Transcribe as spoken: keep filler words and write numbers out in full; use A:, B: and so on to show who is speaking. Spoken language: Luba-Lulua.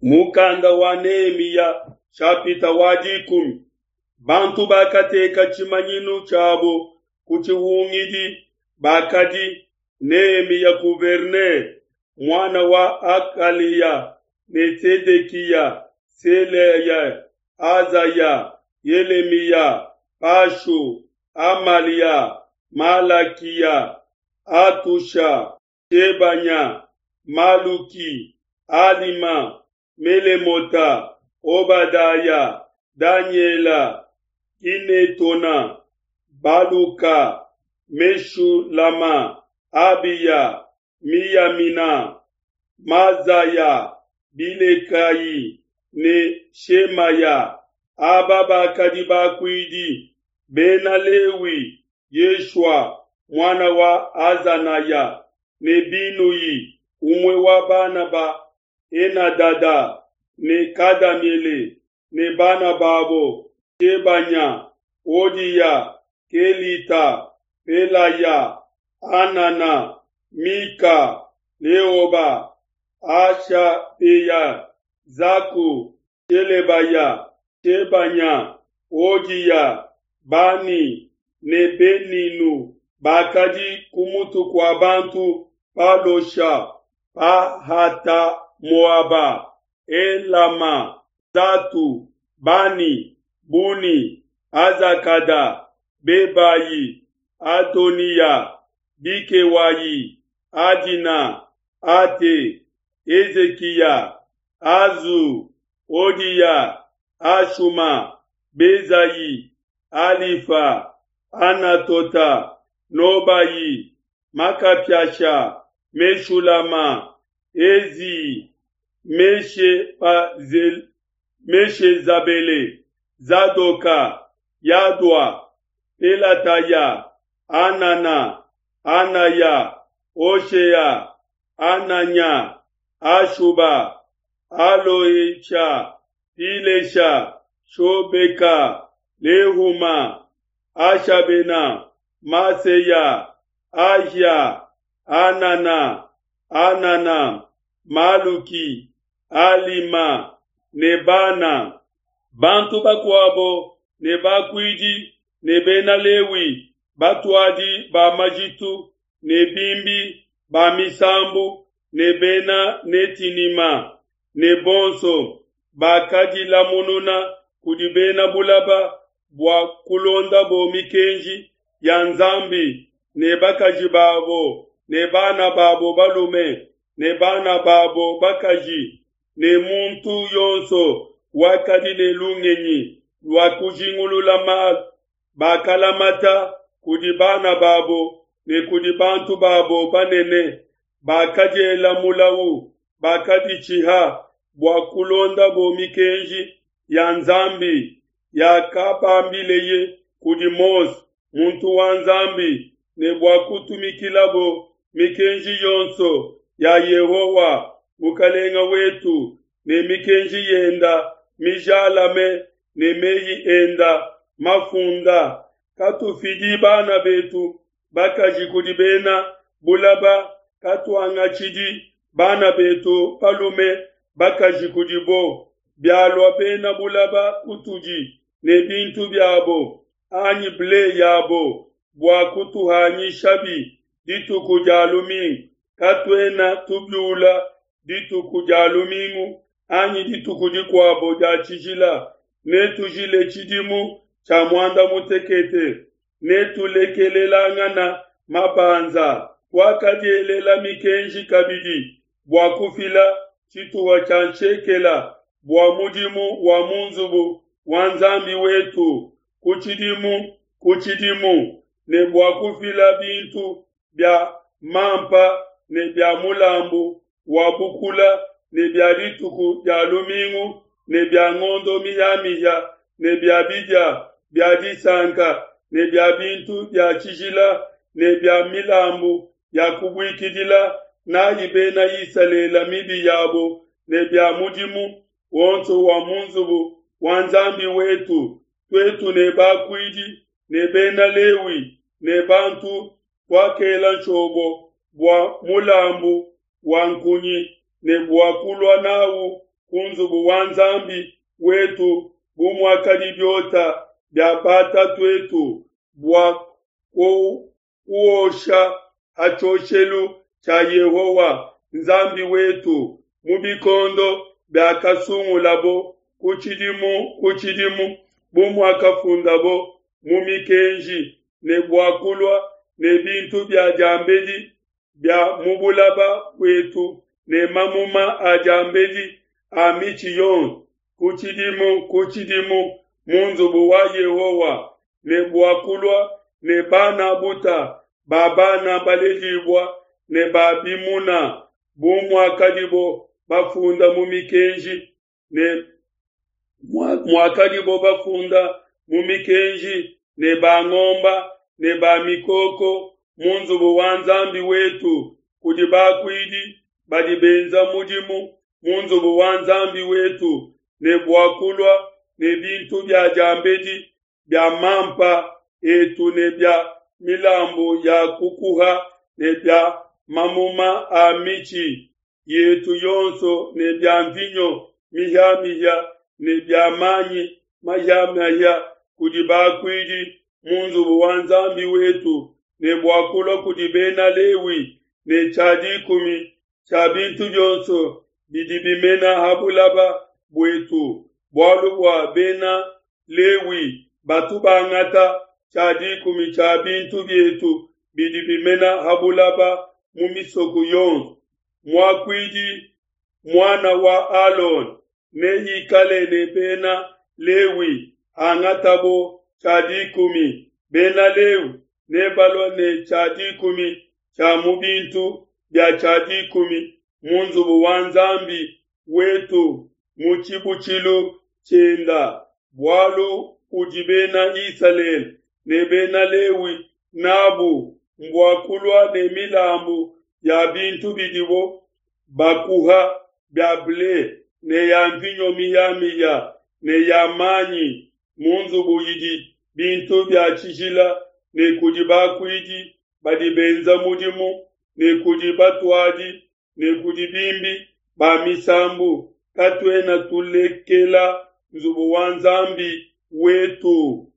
A: Mukanda wa Nehemiya nshapita wa dikumi. Bantu bakateka tshimanyinu tshiabo ku tshihungidi bakadi Nehemiya gouverneur, muana wa Hakaliya, ne Sedekiya, Seleya, Azaya, Yelemiya, Pashu, Amalia, Malakiya, Atusha, Shebanya, Maluki, Alima, Melemota, Obadaya, Danyela, Ginetona, Baluka, Meshulama, Abiya, Miyamina, Mazaya, Bilekayi ne Shemaya. Aba bakadi bakuidi Bena Lewi, Yeshua, muana wa Azanaya, ne Binui, umue wa bana ba Henadada, ne Kadamiele ne bana babo, Shebanya, Hodiya, Kelita, Pelaya, Anana, Mika, Leoba, Ashabeya, Zaku, Shelebaya, Shebanya, Hodiya, Bani ne Beninu bakadi ku mutu kua bantu Palosha, Pahata Moaba, Elama, Zatu, Bani, Buni, Azakada, Bebayi, Adoniya, Bikewayi, Adina, Ate, Ezekiya, Azu, Hodiya, Ashuma, Bezayi, Alifa, Anatota, Nobayi, Makapiasha, Meshulama, Ezi, Meshepazel, Meshezabele, Zadoka, Yadwa, Pelataya, Anana, Anaya, Oshea, Ananya, Ashuba, Aloesha, Pilesha, Shobeka, Lehuma, Ashabena, Maseya, Ahia, Anana, Anana, Maluki, Alima, Nebana. Bantu bakuabo ne bakuidi ne bena Lewi, batuadi ba majitu ne bimbi ba misambu ne bena Netinima ne bonso bakadilamununa kudi bena bulaba bua kulondabo mikenji ya Nzambi ne bakaji babo ne bana babo balume ne bana babo bakaji ne muntu yonso wakadi ne lungenyi lua kujingulula malu bakalamata kudi bana babo ne kudi bantu babo banene bakadiela mulawu bakaditshiha bua kulondabo mikenji ya Nzambi yakabambileye kudi Mose muntu wa Nzambi ne bua kutumikilabo mikenji yonso ya Yehowa mukalenga wetu ne mikenji yenda mijalame ne meyi enda mafunda. Katufidi bana betu bakaji kudi bena bulaba, katuangatshidi bana betu balume bakaji kudibo. Bialua bena bulaba kutudi ne bintu biabo anyi ble yabo bua kutuhanyishabi dituku dia lumingu, katuena tubiula dituku dia lumingu anyi dituku dikuabo dia tshijila. Netujile tshidimu tshia muanda mutekete, netulekelelangana mabanza. Tuakadielela mikenji kabidi bua kufila tshituha tshia nshekela bua mudimu wa mu nzubu wa Nzambi wetu ku tshidimu ku tshidimu, ne bua kufila bintu bia mampa ne bia mulambu wa bukula ne bia dituku dia lumingu ne bia ngondo mihia-mihia ne bia bidia bia disanka ne bia bintu bia tshijila ne bia milambu ya kubuikidila nayi bena Isalele mibi yabo ne bia mudimu wonso wa mu nzubu wa Nzambi wetu. Tuetu ne bakuidi ne bena Lewi ne bantu tuakela nshobo bua mulambu wa nkunyi ne bua kulua nawu ku nzubu wa Nzambi wetu bu muakadi biota bia batatu'etu, bua kuosha ha tshioshelu tshia Yehowa, Nzambi wetu, mu bikondo biakasungulabo ku tshidimu ku tshidimu, bu muakafundabo mu mikenji, ne bua kulua ne bintu bia diambedi bia mu bulaba buetu ne mamuma a diambedi a mitshi yonso ku tshidimu ku tshidimu mu nzubu wa Yehowa, ne bua kulua ne bana buta ba bana baledibua ne ba bimuna, bu muakadibo bafunda mu mikenji ne muakadibo bafunda mu mikenji ne ba ngomba ne ba mikoko mu nzubu wa Nzambi wetu kudi bakuidi badi benza mudimu mu nzubu wa Nzambi wetu, ne bua kulua ne bintu bia diambedi bia mampa etu ne bia milambu ya kukuha ne bia mamuma a mitshi yetu yonso ne bia mvinyo mihia-mihia ne bia manyi mahia-mahia kudi bakuidi mu nzubu wa Nzambi wetu, ne bua kulua kudi Bena Lewi ne tshia dikumi tshia bintu bionso bidi bimena ha bulaba buetu, bualu bua Bena Lewi batu bangata tshia dikumi tshia bintu bietu bidi bimena ha bulaba mu misoko yonso. Muakuidi muana wa Alona neikale ne Bena Lewi hangatabo tshia dikumi. Bena Lewi nebalue ne tshia dikumi tshia mu bintu bia tshia dikumi mu nzubu wa Nzambi wetu mu tshibutshilu tshienda, bualu budi Bena Isalele ne Bena Lewi nabu mbua kulua ne milambu ya bintu bidibo bakuha bia ble ne ya mvinyo mihia-mihia ne ya manyi mu nzubu idi bintu bia tshijila, ne kudi bakuidi badi benza mudimu, ne kudi batuadi ne kudi bimbi ba misambu. Katuena tulekela nzubu wa Nzambi wetu.